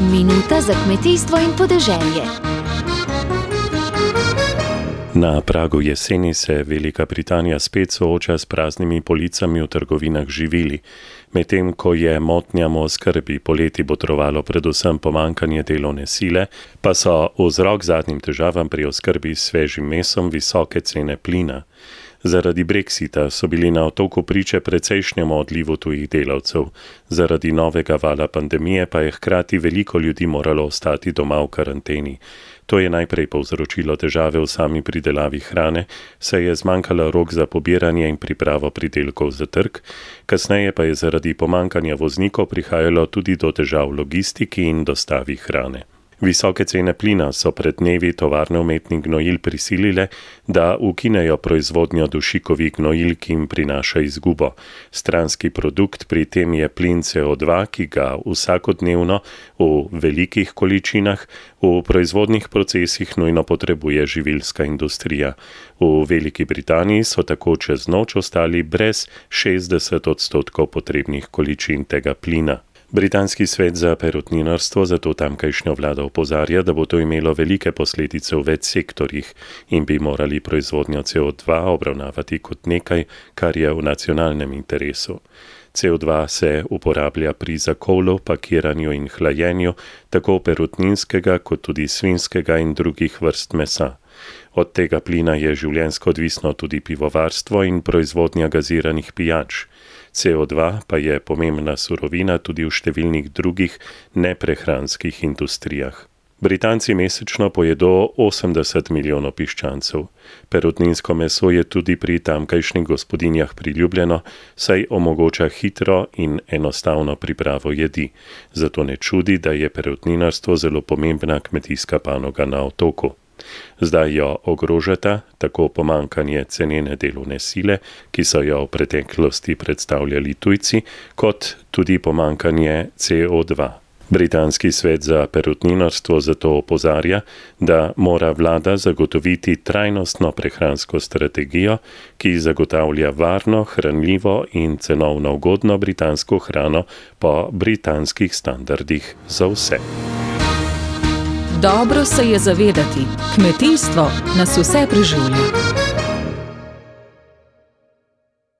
Minuta za kmetijstvo in podeželje. Na pragu jeseni se Velika Britanija spet sooča s praznimi policami v trgovinah z živili. Medtem ko je motnjam v oskrbi poleti botrovalo predvsem pomanjkanje delovne sile, pa so vzrok zadnjim težavam pri oskrbi s svežim mesom visoke cene plina. Zaradi Brexita so bili na otoku priče precejšnjemu odlivu tujih delavcev. Zaradi novega vala pandemije pa je hkrati veliko ljudi moralo ostati doma v karanteni. To je najprej povzročilo težave v sami pridelavi hrane, saj je zmanjkalo rok za pobiranje in pripravo pridelkov za trg, kasneje pa je zaradi pomanjkanja voznikov prihajalo tudi do težav v logistiki in dostavi hrane. Visoke cene plina so pred dnevi tovarne umetnih gnojil prisilile, da ukinejo proizvodnjo dušikovih gnojil, ki jim prinaša izgubo. Stranski produkt pri tem je plin CO2, ki ga vsakodnevno v velikih količinah v proizvodnih procesih nujno potrebuje živilska industrija. V Veliki Britaniji so tako čez noč ostali brez 60% potrebnih količin tega plina. Britanski svet za perutninarstvo zato tamkajšnjo vlado opozarja, da bo to imelo velike posledice v več sektorjih in bi morali proizvodnjo CO2 obravnavati kot nekaj, kar je v nacionalnem interesu. CO2 se uporablja pri zakolu, pakiranju in hlajenju tako perutninskega kot tudi svinjskega in drugih vrst mesa. Od tega plina je življenjsko odvisno tudi pivovarstvo in proizvodnja gaziranih pijač. CO2 pa je pomembna surovina tudi v številnih drugih neprehranskih industrijah. Britanci mesečno pojedo 80 milijonov piščancev. Perutninsko meso je tudi pri tamkajšnjih gospodinjah priljubljeno, saj omogoča hitro in enostavno pripravo jedi. Zato ne čudi, da je perutninarstvo zelo pomembna kmetijska panoga na otoku. Zdaj jo ogrožata tako pomanjkanje cenene delovne sile, ki so jo v preteklosti predstavljali tujci, kot tudi pomanjkanje CO2. Britanski svet za perutninarstvo zato opozarja, da mora vlada zagotoviti trajnostno prehransko strategijo, ki zagotavlja varno, hranljivo in cenovno ugodno britansko hrano po britanskih standardih za vse. Dobro se je zavedati, kmetijstvo nas vse preživlja.